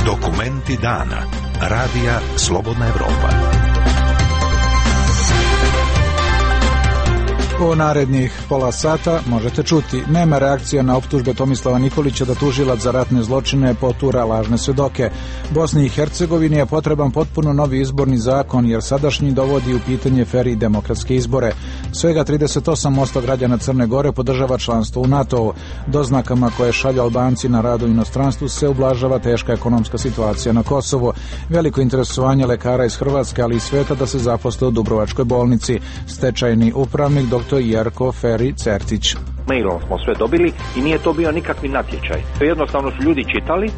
Dokumenti dana. Radija Slobodna Evropa. U narednih pola sata možete čuti: nema reakcija na optužbe Tomislava Nikolića da tužilac za ratne zločine potura lažne svedoke. Bosni i Hercegovini je potreban potpuno novi izborni zakon, jer sadašnji dovodi u pitanje fer i demokratske izbore. Svega 38% građana Crne Gore podržava članstvo u NATO-u. Doznakama koje šalju Albanci na rad u inostranstvu se ublažava teška ekonomska situacija na Kosovu. Veliko interesovanje lekara iz Hrvatske, ali i sveta da se zaposle u Dubrovačkoj bolnici. Stečajni upravnik dr. Jerko Feri Certić. Mailom smo sve dobili i nije to bio nikakvi natječaj. Jednostavno su ljudi čitali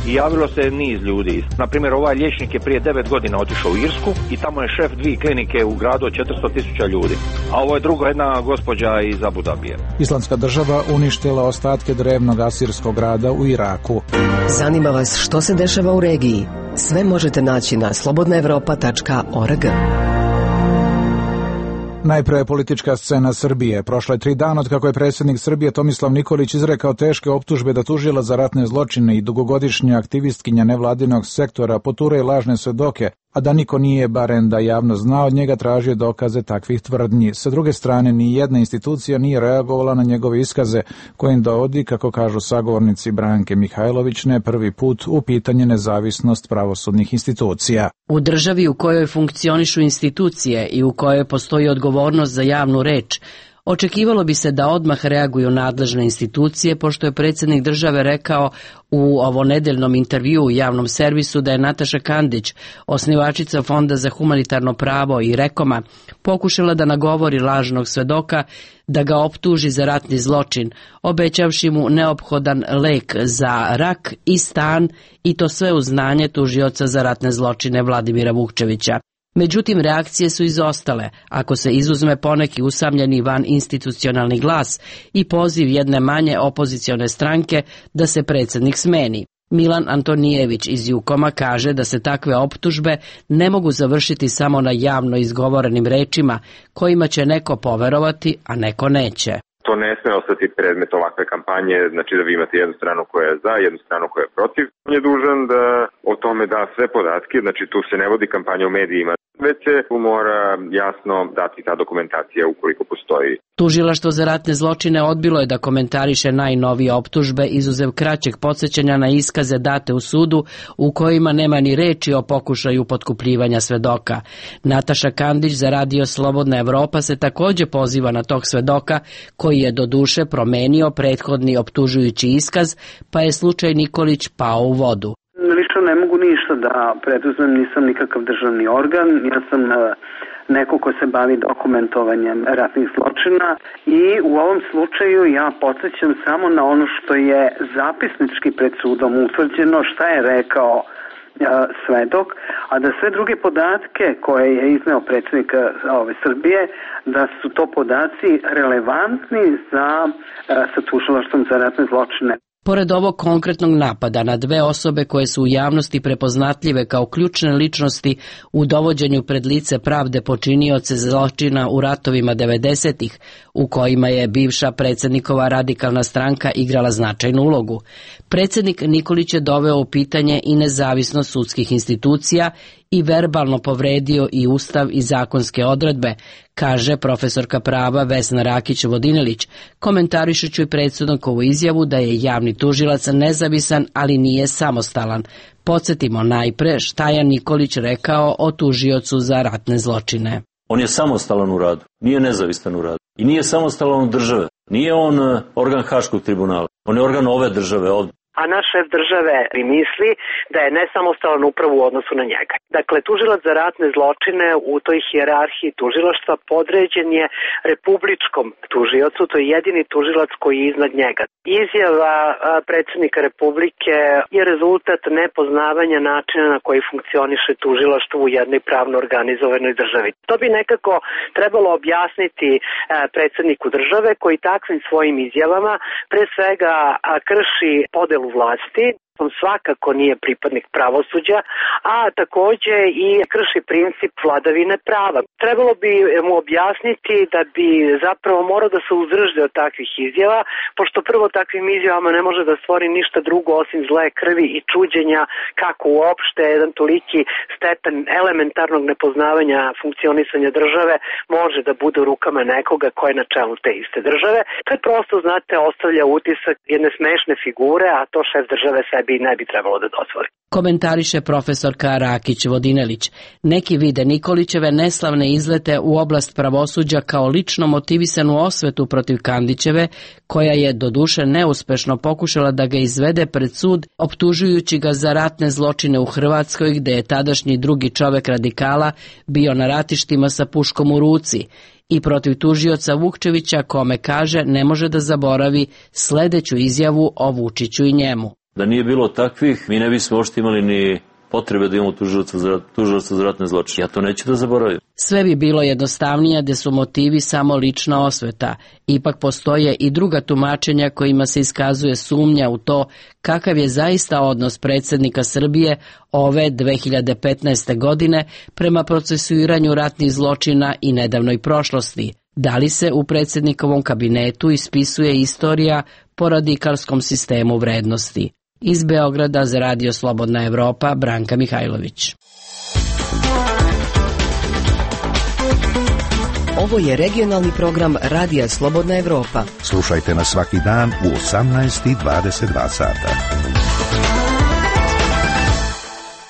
i javilo se niz ljudi. Naprimjer, ovaj liječnik je prije 9 godina otišao u Irsku i tamo je šef 2 klinike u gradu od 400.000 ljudi. A ovo je drugo, jedna gospođa iz Abu Dabije. Islamska država uništila ostatke drevnog asirskog grada u Iraku. Zanima vas što se dešava u regiji? Sve možete naći na slobodnaevropa.org. Najpre politička scena Srbije. Prošlo je 3 dana od kako je predsjednik Srbije Tomislav Nikolić izrekao teške optužbe da tužilac za ratne zločine i dugogodišnja aktivistkinja nevladinog sektora poture lažne svedoke, a da niko nije, barem da javno zna, od njega tražio dokaze takvih tvrdnji. Sa druge strane, ni jedna institucija nije reagovala na njegove iskaze, kojim dovodi, kako kažu sagovornici Branke Mihajlović, ne prvi put u pitanje nezavisnost pravosudnih institucija. U državi u kojoj funkcionišu institucije i u kojoj postoji odgovornost za javnu reč, očekivalo bi se da odmah reaguju nadležne institucije, pošto je predsjednik države rekao u ovonedeljnom intervjuu u javnom servisu da je Nataša Kandić, osnivačica Fonda za humanitarno pravo i Rekoma, pokušala da nagovori lažnog svedoka da ga optuži za ratni zločin, obećavši mu neophodan lek za rak i stan, i to sve uz znanje tužioca za ratne zločine Vladimira Vukčevića. Međutim, reakcije su izostale, ako se izuzme poneki usamljeni van institucionalni glas i poziv jedne manje opozicione stranke da se predsjednik smeni. Milan Antonijević iz Jukoma kaže da se takve optužbe ne mogu završiti samo na javno izgovorenim rečima, kojima će neko poverovati, a neko neće. To ne sme ostati predmet ovakve kampanje, znači da vi imate jednu stranu koja je za, jednu stranu koja je protiv. On je dužan da o tome da sve podatke, znači tu se ne vodi kampanja u medijima, već se mora jasno dati ta dokumentacija ukoliko postoji. Tužilaštvo za ratne zločine odbilo je da komentariše najnovije optužbe, izuzev kraćeg podsjećanja na iskaze date u sudu u kojima nema ni reči o pokušaju potkupljivanja svedoka. Nataša Kandić za radio Slobodna Evropa se također poziva na tog svedoka, koji je doduše promenio prethodni optužujući iskaz, pa je slučaj Nikolić pao u vodu. Lično ne mogu ništa da preduzmem, nisam nikakav državni organ, ja sam neko ko se bavi dokumentovanjem ratnih zločina i u ovom slučaju ja podsjećam samo na ono što je zapisnički pred sudom utvrđeno, šta je rekao svedok, a da sve druge podatke koje je izneo predsjednik Srbije, da su to podaci relevantni sa tužilaštvom za ratne zločine. Pored ovog konkretnog napada na 2 osobe koje su u javnosti prepoznatljive kao ključne ličnosti u dovođenju pred lice pravde počinioce zločina u ratovima 90-ih, u kojima je bivša predsjednikova radikalna stranka igrala značajnu ulogu, predsjednik Nikolić je doveo u pitanje i nezavisnost sudskih institucija i verbalno povredio i ustav i zakonske odredbe, kaže profesorka prava Vesna Rakić-Vodinelić, komentarišući i predsjednikovu izjavu da je javni tužilac nezavisan, ali nije samostalan. Podsjetimo najpre šta je Nikolić rekao o tužiocu za ratne zločine. On je samostalan u radu, nije nezavistan u radu i nije samostalan od države. Nije on organ Haškog tribunala, on je organ ove države ovdje. A naš šef države misli da je nesamostalan upravo u odnosu na njega. Dakle, tužilac za ratne zločine u toj hijerarhiji tužilaštva podređen je republičkom tužiocu, to je jedini tužilac koji je iznad njega. Izjava predsjednika Republike je rezultat nepoznavanja načina na koji funkcioniše tužilaštvo u jednoj pravno organizovanoj državi. To bi nekako trebalo objasniti predsjedniku države, koji takvim svojim izjavama pre svega krši podelu vlasti On svakako nije pripadnik pravosuđa, a takođe i krši princip vladavine prava. Trebalo bi mu objasniti da bi zapravo morao da se uzdrži od takvih izjava, pošto prvo takvim izjavama ne može da stvori ništa drugo osim zle krvi i čuđenja kako uopšte jedan toliki stepen elementarnog nepoznavanja funkcionisanja države može da bude u rukama nekoga ko je na čelu te iste države. To je prosto, znate, ostavlja utisak jedne smešne figure, a to šef države sebi ne bi trebalo da dozvoli. Komentariše profesorka Rakić-Vodinelić. Neki vide Nikolićeve neslavne izlete u oblast pravosuđa kao lično motivisanu osvetu protiv Kandićeve, koja je doduše neuspešno pokušala da ga izvede pred sud, optužujući ga za ratne zločine u Hrvatskoj, gde je tadašnji drugi čovek radikala bio na ratištima sa puškom u ruci, i protiv tužioca Vukčevića, kome kaže ne može da zaboravi sledeću izjavu o Vučiću i njemu. Da nije bilo takvih, mi ne bismo uopšte imali ni potrebe da imamo tužioca za ratne zločine. Ja to neću da zaboravim. Sve bi bilo jednostavnije da su motivi samo lična osveta. Ipak postoje i druga tumačenja kojima se iskazuje sumnja u to kakav je zaista odnos predsjednika Srbije ove 2015. godine prema procesuiranju ratnih zločina i nedavnoj prošlosti. Da li se u predsjednikovom kabinetu ispisuje istorija po radikalskom sistemu vrednosti? Iz Beograda za Radio Slobodna Evropa, Branka Mihajlović. Ovo je regionalni program Radija Slobodna Evropa. Slušajte nas svaki dan u 18:22 sata.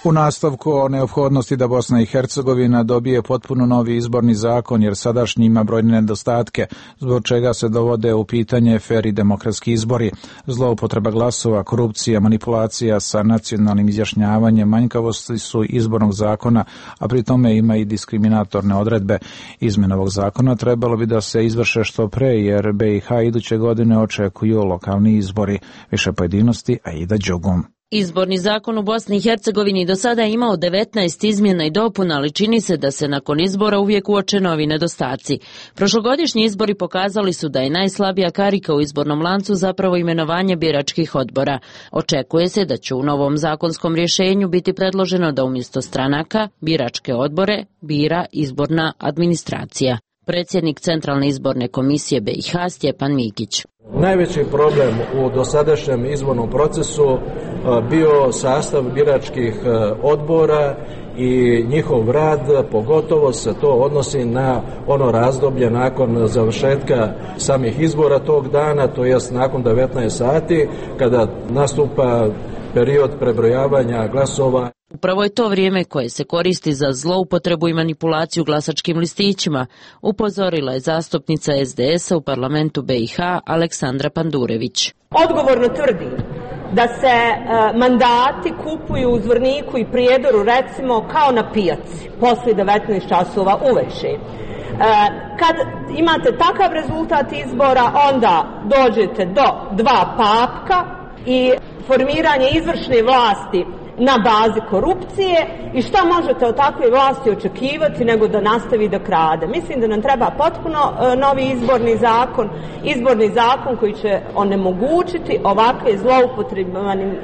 U nastavku o neophodnosti da Bosna i Hercegovina dobije potpuno novi izborni zakon, jer sadašnji ima brojne nedostatke, zbog čega se dovode u pitanje fer i demokratski izbori, zloupotreba glasova, korupcija, manipulacija sa nacionalnim izjašnjavanjem, manjkavosti su izbornog zakona, a pri tome ima i diskriminatorne odredbe. Izmjena ovog zakona trebalo bi da se izvrše što pre, jer BiH iduće godine očekuju lokalni izbori. Više pojedinosti, Aida Đogum. Izborni zakon u Bosni i Hercegovini do sada je imao 19 izmjena i dopuna, ali čini se da se nakon izbora uvijek uoče novi nedostaci. Prošlogodišnji izbori pokazali su da je najslabija karika u izbornom lancu zapravo imenovanje biračkih odbora. Očekuje se da će u novom zakonskom rješenju biti predloženo da umjesto stranaka biračke odbore bira izborna administracija. Predsjednik Centralne izborne komisije BiH Stjepan Mikić. Najveći problem u dosadašnjem izbornom procesu bio sastav biračkih odbora i njihov rad, pogotovo se to odnosi na ono razdoblje nakon završetka samih izbora tog dana, to jest nakon 19 sati, kada nastupa period prebrojavanja glasova. Upravo je to vrijeme koje se koristi za zloupotrebu i manipulaciju glasačkim listićima, upozorila je zastupnica SDS-a u parlamentu BiH Aleksandra Pandurević. Odgovorno tvrdi da se mandati kupuju u Zvorniku i Prijedoru, recimo kao na pijaci, poslije 19 časova uveče. Kad imate takav rezultat izbora, onda dođete do dva papka i formiranje izvršne vlasti na bazi korupcije, i šta možete od takve vlasti očekivati nego da nastavi da krade. Mislim da nam treba potpuno novi izborni zakon koji će onemogućiti ovakve zloupotrebe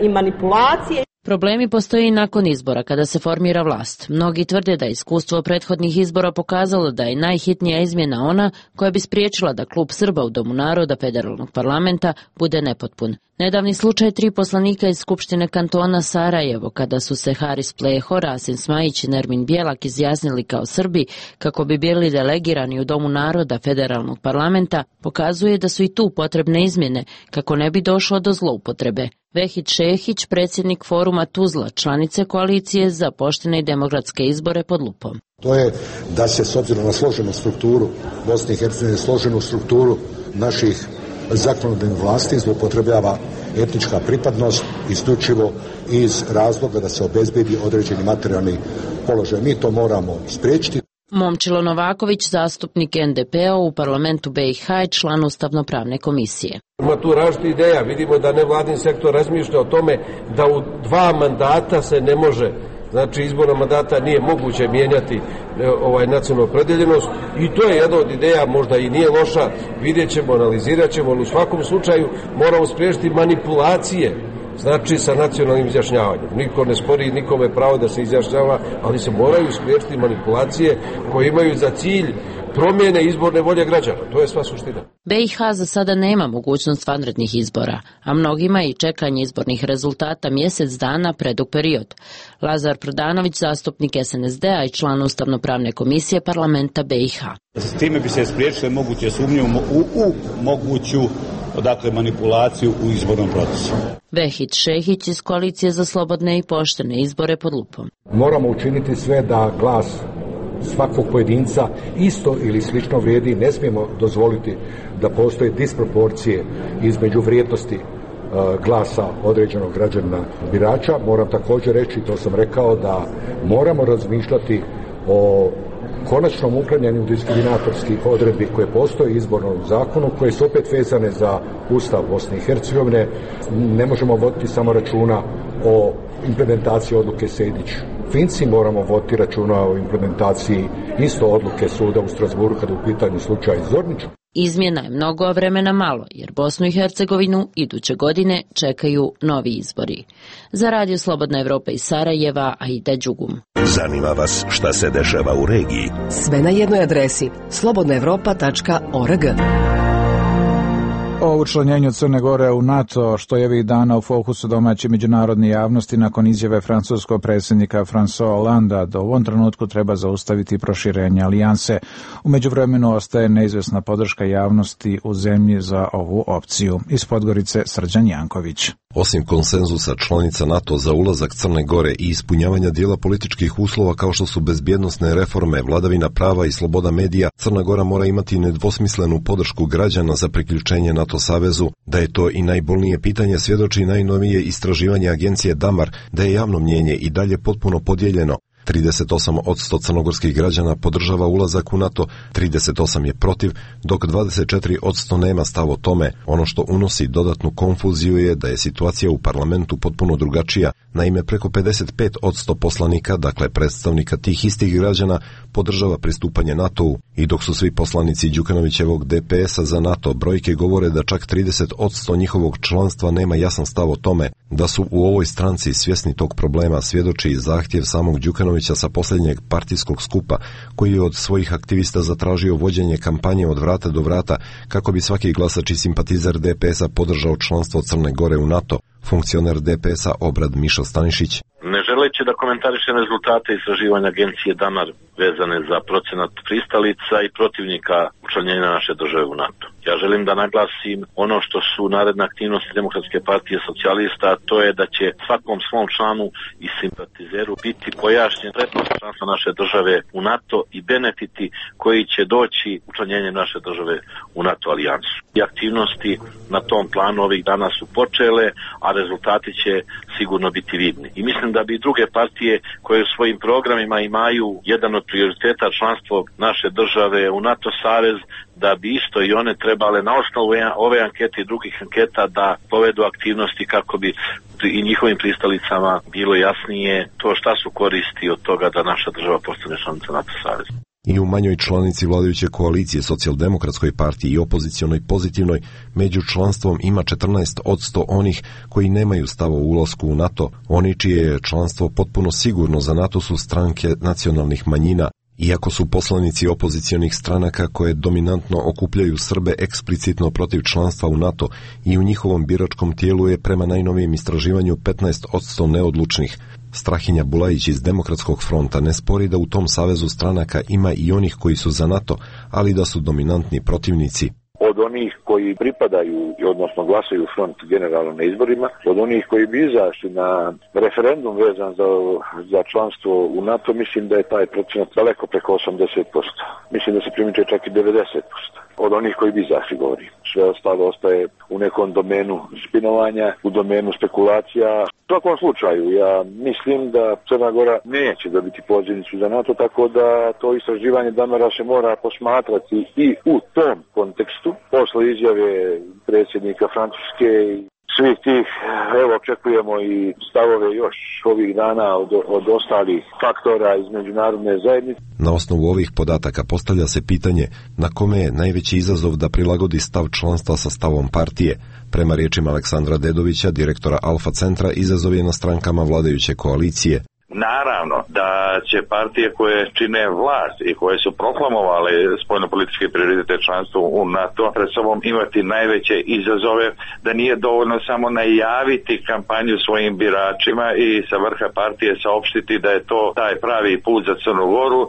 i manipulacije. Problemi postoje i nakon izbora kada se formira vlast. Mnogi tvrde da je iskustvo prethodnih izbora pokazalo da je najhitnija izmjena ona koja bi spriječila da klub Srba u Domu naroda federalnog parlamenta bude nepotpun. Nedavni slučaj 3 poslanika iz Skupštine kantona Sarajevo, kada su se Haris Pleho, Rasim Smajić i Nermin Bjelak izjasnili kao Srbi kako bi bili delegirani u Domu naroda federalnog parlamenta, pokazuje da su i tu potrebne izmjene kako ne bi došlo do zloupotrebe. Vehid Šehić, predsjednik foruma Tuzla, članice koalicije za poštene i demokratske izbore pod lupom. To je da se s obzirom na složenu strukturu Bosne i Hercegovine, složenu strukturu naših zakonodavnih vlasti zloupotrebljava etnička pripadnost isključivo iz razloga da se obezbedi određeni materijalni položaj. Mi to moramo spriječiti. Momčilo Novaković, zastupnik NDP-a u parlamentu BiH i član Ustavno-pravne komisije. Ima tu različitih ideja. Vidimo da nevladin sektor razmišlja o tome da u 2 mandata se ne može, znači izborna mandata nije moguće mijenjati nacionalnu opredeljenost, i to je jedna od ideja, možda i nije loša, vidjet ćemo, analizirat ćemo, ali u svakom slučaju moramo spriječiti manipulacije znači sa nacionalnim izjašnjavanjem. Niko ne spori nikome pravo da se izjašnjava, ali se moraju spriječiti manipulacije koje imaju za cilj promjene izborne volje građana. To je sva suština. BiH za sada nema mogućnost vanrednih izbora, a mnogima i čekanje izbornih rezultata mjesec dana predug period. Lazar Prodanović, zastupnik SNSD-a i član Ustavno-pravne komisije parlamenta BiH. S time bi se spriječile moguće sumnje u moguću manipulaciju u izbornom procesu. Vehid Šehić iz Koalicije za slobodne i poštene izbore pod lupom. Moramo učiniti sve da glas svakog pojedinca isto ili slično vrijedi. Ne smijemo dozvoliti da postoje disproporcije između vrijednosti glasa određenog građanina birača. Moram također reći, to sam rekao, da moramo razmišljati o konačnom uklanjanju diskriminatorskih odredbi koje postoje u izbornom zakonu, koje su opet vezane za Ustav Bosne i Hercegovine. Ne možemo voditi samo računa o implementaciji odluke Sejdić-Finci, moramo voditi računa o implementaciji isto odluke suda u Strasburu kada je u pitanju slučaj Zornić. Izmjena je mnogo, a vremena malo, jer Bosnu i Hercegovinu iduće godine čekaju novi izbori. Za Radio Slobodna Evropa iz Sarajeva, Aida Đugum. Zanima vas šta se dešava u regiji? Sve na jednoj adresi slobodnaevropa.org. O učlanjenju Crne Gore u NATO, što je ovih dana u fokusu domaće međunarodne javnosti nakon izjave francuskog predsjednika François Hollanda da u ovom trenutku treba zaustaviti proširenje alijanse. U međuvremenu ostaje neizvjesna podrška javnosti u zemlji za ovu opciju. Iz Podgorice Srđan Janković. Osim konsenzusa članica NATO za ulazak Crne Gore i ispunjavanja dijela političkih uslova kao što su bezbjednosne reforme, vladavina prava i sloboda medija, Crna Gora mora imati nedvosmislenu podršku građana za priključenje NATO savezu. Da je to i najbolnije pitanje svjedoči najnovije istraživanje agencije Damar, da je javno mnjenje i dalje potpuno podijeljeno. 38% crnogorskih građana podržava ulazak u NATO, 38% je protiv, dok 24% nema stav o tome. Ono što unosi dodatnu konfuziju je da je situacija u parlamentu potpuno drugačija. Naime, preko 55% poslanika, dakle predstavnika tih istih građana, podržava pristupanje NATO-u. I dok su svi poslanici Đukanovićevog DPS-a za NATO, brojke govore da čak 30% njihovog članstva nema jasan stav o tome. Da su u ovoj stranci svjesni tog problema svjedoči i zahtjev samog Đukanovića sa posljednjeg partijskog skupa, koji je od svojih aktivista zatražio vođenje kampanje od vrata do vrata kako bi svaki glasač i simpatizer DPS-a podržao članstvo Crne Gore u NATO. Funkcioner DPS-a Obrad Mišo Stanišić. Ne želeći da komentarišem rezultate istraživanja agencije Damar vezane za procenat pristalica i protivnika učlanjenja naše države u NATO. Ja želim da naglasim ono što su naredne aktivnosti Demokratske partije socijalista, a to je da će svakom svom članu i simpatizeru biti pojašnjen prednost članstva naše države u NATO i benefiti koji će doći učlanjenjem naše države u NATO alijansu. I aktivnosti na tom planu ovih dana su počele, a rezultati će sigurno biti vidni. I mislim da bi druge partije koje u svojim programima imaju jedan od prioriteta članstvo naše države u NATO savez, da bi isto i one trebale na osnovu ove ankete i drugih anketa da povedu aktivnosti kako bi i njihovim pristalicama bilo jasnije to šta su koristi od toga da naša država postane članica NATO saveza. I u manjoj članici vladajuće koalicije Socijaldemokratskoj partiji i opozicionoj Pozitivnoj među članstvom ima 14% onih koji nemaju stav o ulasku u NATO. Oni čije je članstvo potpuno sigurno za NATO su stranke nacionalnih manjina. Iako su poslanici opozicionih stranaka koje dominantno okupljaju Srbe eksplicitno protiv članstva u NATO i u njihovom biračkom tijelu je prema najnovijem istraživanju 15% neodlučnih. Strahinja Bulajić iz Demokratskog fronta ne spori da u tom savezu stranaka ima i onih koji su za NATO, ali da su dominantni protivnici. Od onih koji pripadaju, odnosno glasaju front generalno na izborima, od onih koji bi izašli na referendum vezan za članstvo u NATO, mislim da je taj procenat daleko preko 80%. Mislim da se primiče čak i 90%. Od onih koji bi izašli, govori. Sve ostalo ostaje u nekom domenu spinovanja, u domenu spekulacija. U svakom slučaju, ja mislim da Crna Gora neće dobiti pozivnicu za NATO, tako da to istraživanje Damara se mora posmatrati i u tom kontekstu. Posle izjave predsjednika Francuske svih tih, evo, očekujemo i stavove još ovih dana od ostalih faktora iz međunarodne zajednice. Na osnovu ovih podataka postavlja se pitanje na kome je najveći izazov da prilagodi stav članstva sa stavom partije. Prema riječima Aleksandra Dedovića, direktora Alfa centra, izazov je na strankama vladajuće koalicije. Naravno da će partije koje čine vlast i koje su proklamovale spoljnopolitičke prioritete članstva u NATO pred sobom imati najveće izazove, da nije dovoljno samo najaviti kampanju svojim biračima i sa vrha partije saopštiti da je to taj pravi put za Crnu Goru.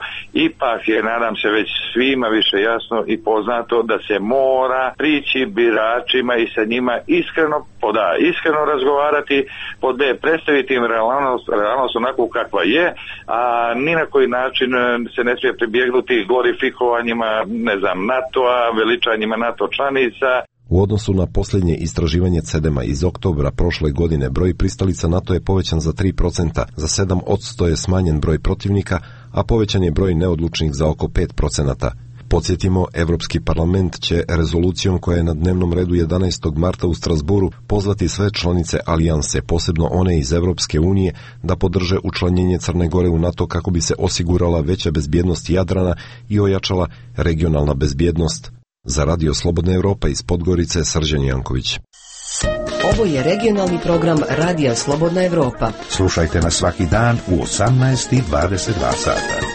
Ipak je, nadam se, već svima više jasno i poznato da se mora prići biračima i sa njima iskreno razgovarati, pod B, predstaviti im realnost onako kakva je, a ni na koji način se ne smije pribjegnuti glorifikovanjima, NATO-a, veličanjima NATO članica. U odnosu na posljednje istraživanje CEDEMA iz oktobra prošle godine, broj pristalica NATO je povećan za 3%, za 7% je smanjen broj protivnika, a povećan je broj neodlučnih za oko 5%. Podsjetimo, Evropski parlament će rezolucijom koja je na dnevnom redu 11. marta u Strasburu pozvati sve članice alijanse, posebno one iz Evropske unije, da podrže učlanjenje Crne Gore u NATO kako bi se osigurala veća bezbjednost Jadrana i ojačala regionalna bezbjednost. Za Radio Slobodna Evropa iz Podgorice, Srđan Janković. Ovo je regionalni program Radija Slobodna Evropa. Slušajte nas svaki dan u 18:22 sata.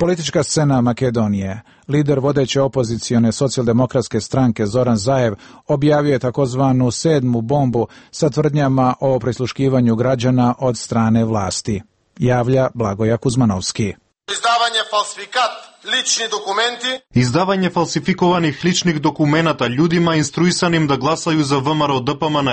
Politička scena Makedonije. Lider vodeće opozicione socijaldemokratske stranke Zoran Zaev objavio je takozvanu 7. bombu sa tvrdnjama o prisluškivanju građana od strane vlasti. Javlja Blagoja Kuzmanovski. Izdavanje falsifikovanih ličnih dokumenata ljudima instruisanim da glasaju za ВМРО ДПМН,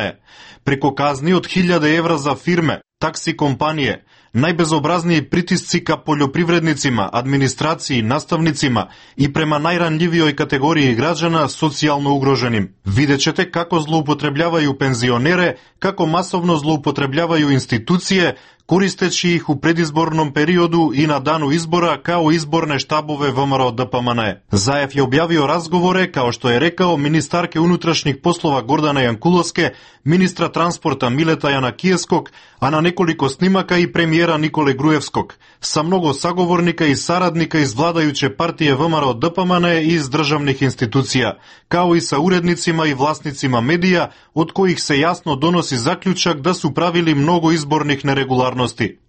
preko kazni od 1000 evra za firme, taksi kompanije, najbezobrazniji pritisci ka poljoprivrednicima, administraciji, nastavnicima i prema najranljivijoj kategoriji građana, socijalno ugroženim. Vidjet ćete kako zloupotrebljavaju penzionere, kako masovno zloupotrebljavaju institucije, koristeći ih u predizbornom periodu i na danu izbora kao izborne štabove ВМРО ДПМН. Zaev je objavio razgovore, kao što je rekao, ministarke unutrašnjih poslova Gordana Jankulovske, ministra transporta Mileta Janakijevskog, a na nekoliko snimaka i premijera Nikole Grujevskog, sa mnogo sagovornika i saradnika iz vladajuće partije ВМРО ДПМН i iz državnih institucija, kao i sa urednicima i vlasnicima medija, od kojih se jasno donosi zaključak da su pravili mnogo izbornih neregularnosti.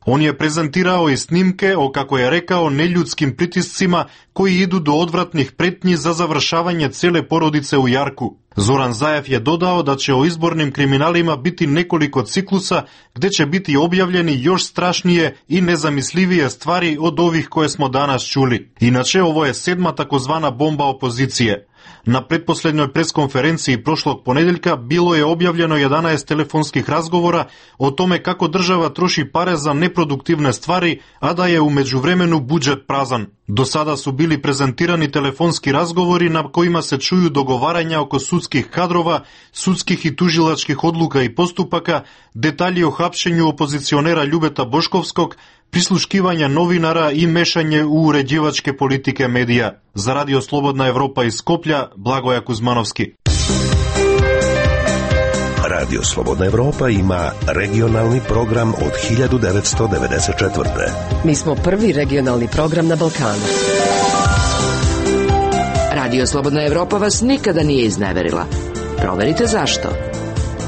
On je prezentirao i snimke o, kako je rekao, neljudskim pritiscima koji idu do odvratnih pretnji za završavanje cijele porodice u Jarku. Zoran Zaev je dodao da će o izbornim kriminalima biti nekoliko ciklusa gdje će biti objavljeni još strašnije i nezamislivije stvari od ovih koje smo danas čuli. Inače, ovo je 7. takozvana bomba opozicije. Na pretposljednjoj preskonferenciji prošlog ponedjeljka bilo je objavljeno 11 telefonskih razgovora o tome kako država troši pare za neproduktivne stvari, a da je u međuvremenu budžet prazan. Do sada su bili prezentirani telefonski razgovori na kojima se čuju dogovaranja oko sudskih kadrova, sudskih i tužilačkih odluka i postupaka, detalji o hapšenju opozicionera Ljubeta Boškovskog, prisluškivanja novinara i mešanje u uređivačke politike medija. Za Radio Slobodna Evropa iz Skoplja, Blagoja Kuzmanovski. Radio Slobodna Evropa ima regionalni program od 1994. Mi smo prvi regionalni program na Balkanu. Radio Slobodna Evropa vas nikada nije izneverila. Proverite zašto.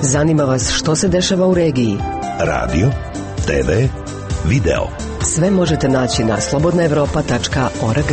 Zanima vas što se dešava u regiji. Radio, TV, video. Sve možete naći na slobodnaevropa.org.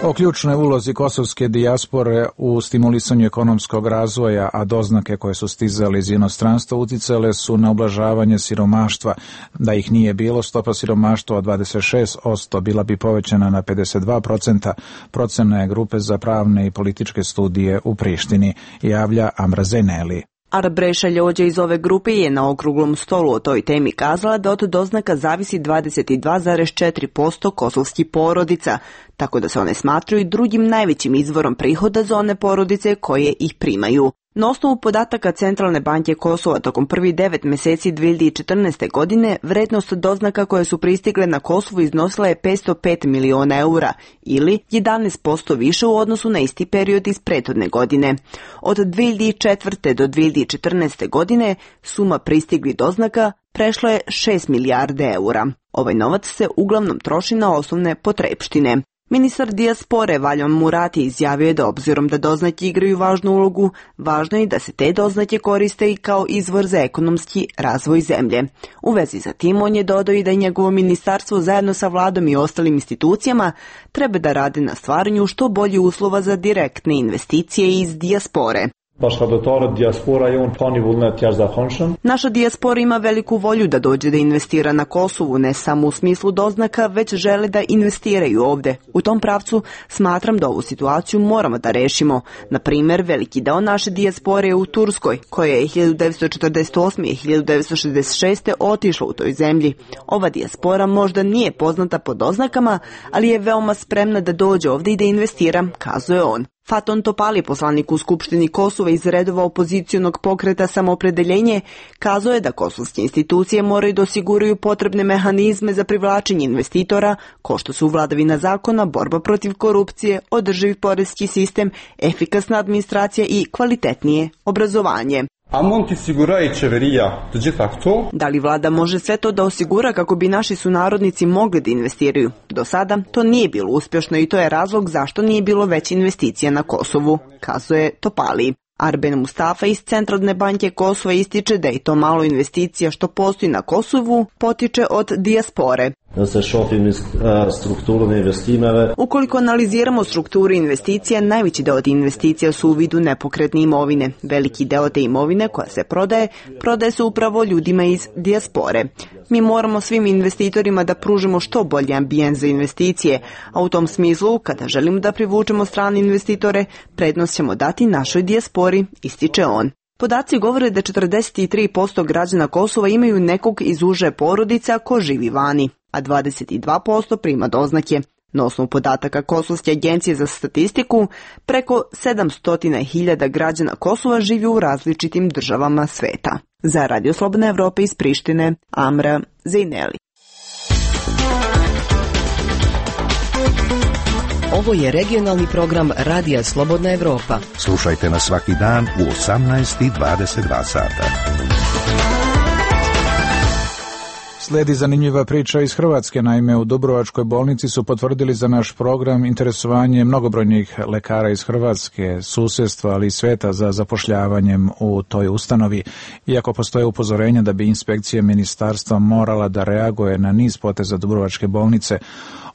O ključnoj ulozi kosovske dijaspore u stimulisanju ekonomskog razvoja, a doznake koje su stizale iz inostranstva uticale su na ublažavanje siromaštva. Da ih nije bilo, stopa siromaštva od 26% bila bi povećana na 52%, procena je grupe za pravne i političke studije u Prištini, javlja Amra Zeneli. Arbreša Ljođa iz ove grupe je na okruglom stolu o toj temi kazala da od doznaka zavisi 22,4% kosovskih porodica, tako da se one smatruju drugim najvećim izvorom prihoda za one porodice koje ih primaju. Na osnovu podataka Centralne banke Kosova tokom prvih 9 meseci 2014. godine, vrednost doznaka koje su pristigle na Kosovu iznosila je 505 miliona eura ili 11% više u odnosu na isti period iz prethodne godine. Od 2004. do 2014. godine suma pristigli doznaka prešla je 6 milijarde eura. Ovaj novac se uglavnom troši na osnovne potrepštine. Ministar dijaspore Valjan Murati izjavio je da obzirom da doznake igraju važnu ulogu, važno je da se te doznake koriste i kao izvor za ekonomski razvoj zemlje. U vezi sa tim on je dodao i da njegovo ministarstvo zajedno sa vladom i ostalim institucijama treba da rade na stvaranju što bolje uslova za direktne investicije iz dijaspore. Naša dijaspora ima veliku volju da dođe da investira na Kosovu, ne samo u smislu doznaka, već žele da investiraju ovde. U tom pravcu smatram da ovu situaciju moramo da rešimo. Na primjer, veliki deo naše dijaspore je u Turskoj, koja je 1948. i 1966. otišla u toj zemlji. Ova dijaspora možda nije poznata po doznakama, ali je veoma spremna da dođe ovde i da investira, kazuje on. Faton Topali, poslanik u Skupštini Kosova iz redova opozicionog pokreta Samoopredeljenje, kazao je da kosovske institucije moraju da osiguraju potrebne mehanizme za privlačenje investitora, ko što su vladavina zakona, borba protiv korupcije, održiv poreski sistem, efikasna administracija i kvalitetnije obrazovanje. Da li vlada može sve to da osigura kako bi naši sunarodnici mogli da investiraju? Do sada to nije bilo uspješno i to je razlog zašto nije bilo veće investicija na Kosovu, kazuje Topali. Arben Mustafa iz Centralne banke Kosova ističe da i to malo investicija što postoji na Kosovu potiče od dijaspore. Ukoliko analiziramo strukturu investicija, najveći deo investicija su u vidu nepokretne imovine. Veliki deo te imovine koja se prodaje se upravo ljudima iz dijaspore. Mi moramo svim investitorima da pružimo što bolji ambijent za investicije, a u tom smislu, kada želimo da privučemo strane investitore, prednost ćemo dati našoj dijaspori, ističe on. Podaci govore da 43% građana Kosova imaju nekog iz uže porodica ko živi vani, a 22% prima doznake. Na osnovu podataka Kosovske agencije za statistiku, preko 700.000 građana Kosova živi u različitim državama sveta. Za Radio Slobodna Evropa iz Prištine, Amra Zejneli. Ovo je regionalni program Radija Slobodna Evropa. Slušajte nas svaki dan u 18:22 sata. Slijedi zanimljiva priča iz Hrvatske. Naime, u Dubrovačkoj bolnici su potvrdili za naš program interesovanje mnogobrojnih lekara iz Hrvatske, susjedstva, ali i sveta za zapošljavanjem u toj ustanovi. Iako postoje upozorenja da bi inspekcija ministarstva morala da reaguje na niz poteza Dubrovačke bolnice,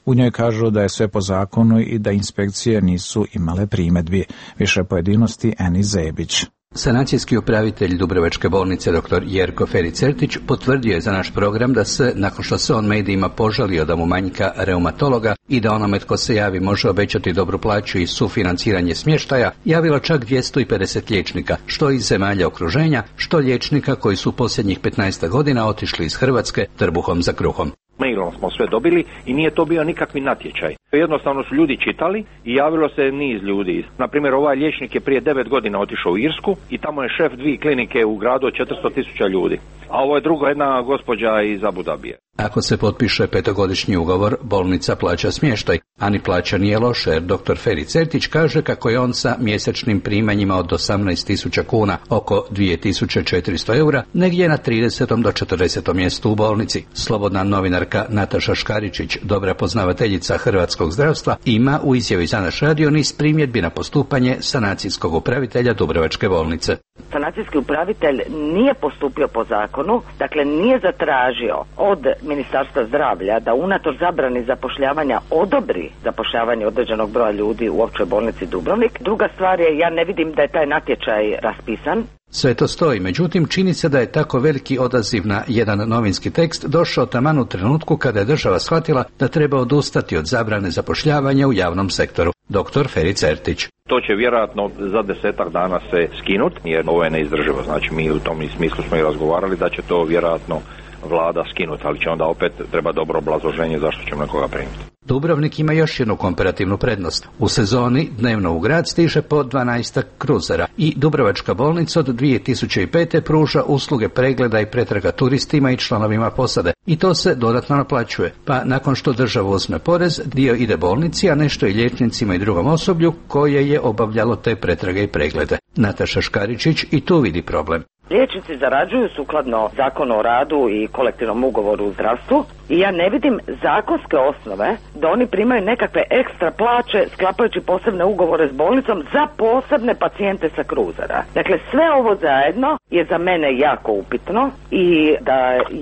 u njoj kažu da je sve po zakonu i da inspekcije nisu imale primjedbi. Više pojedinosti Eni Zebić. Sanacijski upravitelj Dubrovačke bolnice dr. Jerko Fericertić potvrdio je za naš program da se, nakon što se on medijima požalio da mu manjka reumatologa i da onome tko se javi može obećati dobru plaću i sufinanciranje smještaja, javilo čak 250 liječnika, što iz zemalja okruženja, što liječnika koji su posljednjih 15 godina otišli iz Hrvatske trbuhom za kruhom. Mailom smo sve dobili i nije to bio nikakvi natječaj. Jednostavno su ljudi čitali i javilo se niz ljudi. Naprimjer, ovaj liječnik je prije 9 godina otišao u Irsku i tamo je šef 2 klinike u gradu od 400.000 ljudi. A ovo je druga jedna gospođa iz Abu Dabije. Ako se potpiše 5-godišnji ugovor, bolnica plaća smještaj, a ni plaća nije loše, jer dr. Fericertić kaže kako je on sa mjesečnim primanjima od 18.000 kuna, oko 2.400 eura, negdje na 30. do 40. mjestu u bolnici. Slobodna novinarka Nataša Škaričić, dobra poznavateljica hrvatskog zdravstva, ima u izjavi za naš radio niz primjedbi na postupanje sanacijskog upravitelja Dubrovačke bolnice. Sanacijski upravitelj nije postupio po zakonu, dakle nije zatražio od Ministarstva zdravlja da unatoč zabrani zapošljavanja odobri zapošljavanje određenog broja ljudi u općoj bolnici Dubrovnik. Druga stvar je, ja ne vidim da je taj natječaj raspisan. Sve to stoji, međutim čini se da je tako veliki odaziv na jedan novinski tekst došao taman u trenutku kada je država shvatila da treba odustati od zabrane zapošljavanja u javnom sektoru. Dr. Fericertić. To će vjerojatno za 10 dana se skinuti, jer ovo je neizdrživo. Znači mi u tom smislu smo i razgovarali da će to vjerojatno vlada skinuti, ali će onda opet treba dobro obrazloženje zašto ćemo nekoga primiti. Dubrovnik ima još jednu komparativnu prednost. U sezoni dnevno u grad stiže po 12 kruzera i Dubrovačka bolnica od 2005. pruža usluge pregleda i pretraga turistima i članovima posade i to se dodatno naplaćuje. Pa nakon što država uzme porez, dio ide bolnici, a nešto i liječnicima i drugom osoblju koje je obavljalo te pretrage i preglede. Nataša Škaričić i tu vidi problem. Liječnici zarađuju sukladno Zakonu o radu i kolektivnom ugovoru u zdravstvu i ja ne vidim zakonske osnove da oni primaju nekakve ekstra plaće sklapajući posebne ugovore s bolnicom za posebne pacijente sa kruzera. Dakle, sve ovo zajedno je za mene jako upitno i da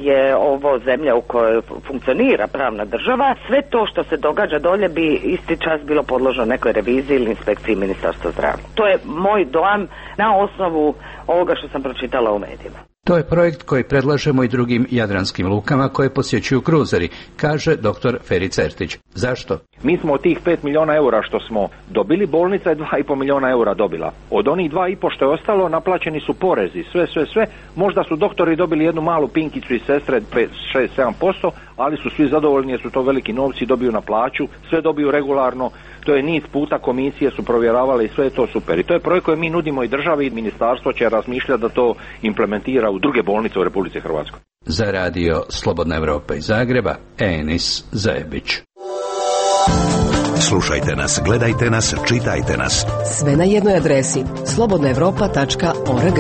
je ovo zemlja u kojoj funkcionira pravna država, sve to što se događa dolje bi isti čas bilo podložno nekoj reviziji ili inspekciji Ministarstva zdravlja. To je moj dojam na osnovu ovoga što sam pročitala u medijima. To je projekt koji predlažemo i drugim jadranskim lukama koje posjećuju kruzeri, kaže dr. Feri Certić. Zašto? Mi smo od tih 5 milijuna eura što smo dobili, bolnica je 2,5 milijuna eura dobila. Od onih 2,5 što je ostalo, naplaćeni su porezi, sve. Možda su doktori dobili jednu malu pinkicu i sestre, 5-6-7%, ali su svi zadovoljni jer su to veliki novci, dobiju na plaću, sve dobiju regularno. To je niz puta komisije su provjeravale i sve je to super. I to je projekt koji mi nudimo i državi i ministarstvo će razmišljati da to implementira u druge bolnice u Republici Hrvatskoj. Za radio Slobodna Evropa iz Zagreba, Enis Zajebić. Slušajte nas, gledajte nas, čitajte nas. Sve na jednoj adresi slobodnaevropa.org.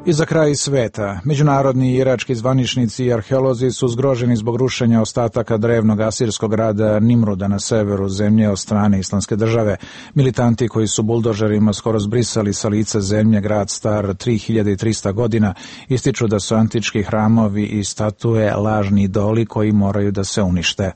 I za kraj sveta, međunarodni i irački zvaničnici i arheolozi su zgroženi zbog rušenja ostataka drevnog asirskog grada Nimruda na severu zemlje od strane Islamske države. Militanti koji su buldožerima skoro zbrisali sa lica zemlje grad star 3300 godina ističu da su antički hramovi i statue lažni idoli koji moraju da se unište.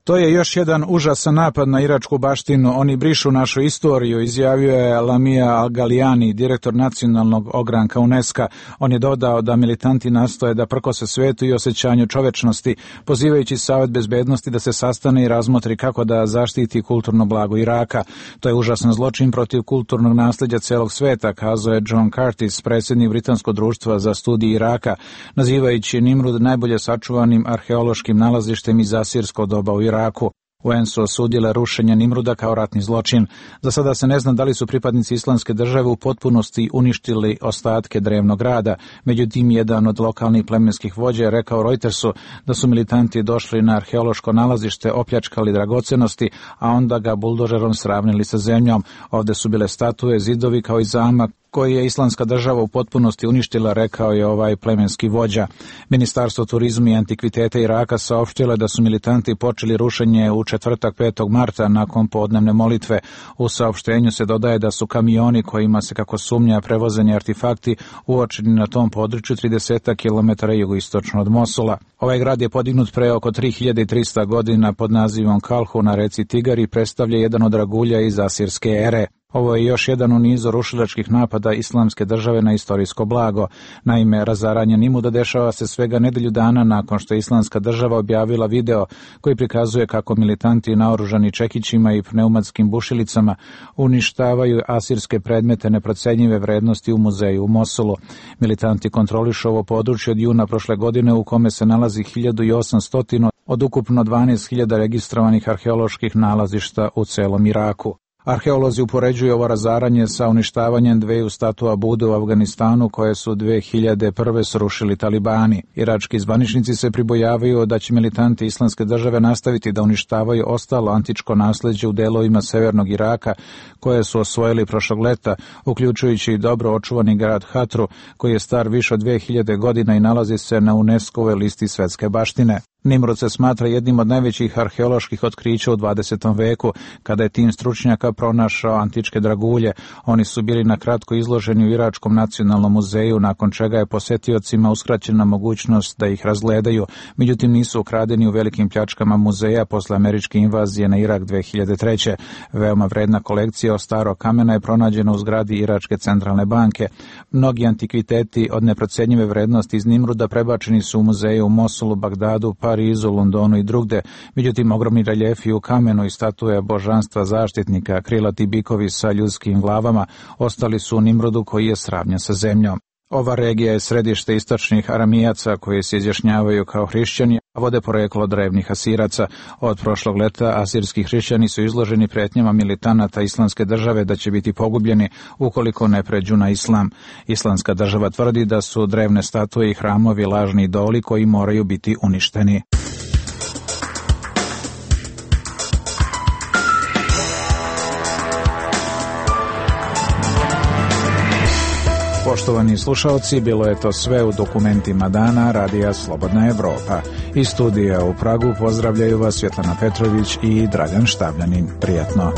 To je još jedan užasan napad na iračku baštinu. Oni brišu našu istoriju, izjavio je Lamia Al-Galijani, direktor nacionalnog ogranka UNESCO. On je dodao da militanti nastoje da prkose svetu i osjećanju čovečnosti, pozivajući Savet bezbednosti da se sastane i razmotri kako da zaštiti kulturno blago Iraka. To je užasan zločin protiv kulturnog nasljeđa celog sveta, kazao je John Curtis, predsjednik Britanskog društva za studij Iraka, nazivajući Nimrud najbolje sačuvanim arheološkim nalazištem iz asirskog doba u Iraku. UN su osudile rušenje Nimruda kao ratni zločin. Za sada se ne zna da li su pripadnici Islamske države u potpunosti uništili ostatke drevnog grada. Međutim, jedan od lokalnih plemenskih vođa je rekao Reutersu da su militanti došli na arheološko nalazište, opljačkali dragocenosti, a onda ga buldožerom sravnili sa zemljom. Ovde su bile statue, zidovi kao i zamak koji je Islamska država u potpunosti uništila, rekao je ovaj plemenski vođa. Ministarstvo turizma i antikviteta Iraka saopštilo je da su militanti počeli rušenje u četvrtak 5. marta nakon podnevne molitve. U saopštenju se dodaje da su kamioni kojima se kako sumnja prevozeni artefakti uočeni na tom području 30 km jugoistočno od Mosula. Ovaj grad je podignut pre oko 3300 godina pod nazivom Kalhu na reci Tigar i predstavlja jedan od dragulja iz asirske ere. Ovo je još jedan u nizu rušilačkih napada Islamske države na istorijsko blago. Naime, razaranje Nimruda dešava se svega nedelju dana nakon što je Islamska država objavila video koji prikazuje kako militanti naoružani čekićima i pneumatskim bušilicama uništavaju asirske predmete neprocenjive vrednosti u muzeju u Mosulu. Militanti kontrolišu ovo područje od juna prošle godine u kome se nalazi 1800 od ukupno 12.000 registrovanih arheoloških nalazišta u celom Iraku. Arheolozi upoređuju ovo razaranje sa uništavanjem dveju statua Bude u Afganistanu koje su 2001. srušili talibani. Irački zvaničnici se pribojavaju da će militanti Islamske države nastaviti da uništavaju ostalo antičko nasleđe u delovima severnog Iraka koje su osvojili prošlog leta, uključujući i dobro očuvani grad Hatru koji je star više od 2000 godina i nalazi se na UNESCO-voj listi svetske baštine. Nimrud se smatra jednim od najvećih arheoloških otkrića u 20. veku, kada je tim stručnjaka pronašao antičke dragulje. Oni su bili na kratko izloženi u Iračkom nacionalnom muzeju, nakon čega je posetiocima uskraćena mogućnost da ih razgledaju. Međutim, nisu ukradeni u velikim pljačkama muzeja posle američke invazije na Irak 2003. Veoma vredna kolekcija od starog kamena je pronađena u zgradi Iračke centralne banke. Mnogi antikviteti od neprocenjive vrednosti iz Nimruda prebačeni su u muzeje u Mosulu, Bagdadu, Parizu, Londonu i drugde. Međutim, ogromni reljefi u kamenu i statue božanstva zaštitnika, krilati bikovi sa ljudskim glavama, ostali su u Nimrudu koji je sravnjen sa zemljom. Ova regija je središte istočnih aramijaca koji se izjašnjavaju kao hrišćani, vode poreklo drevnih Asiraca. Od prošlog leta asirski hrišćani su izloženi pretnjama militanata Islamske države da će biti pogubljeni ukoliko ne pređu na islam. Islamska država tvrdi da su drevne statue i hramovi lažni idoli koji moraju biti uništeni. Poštovani slušalci, bilo je to sve u dokumentima dana Radija Slobodna Evropa. Iz studija u Pragu pozdravljaju vas Svjetlana Petrović i Dragan Štabljanin. Prijatno.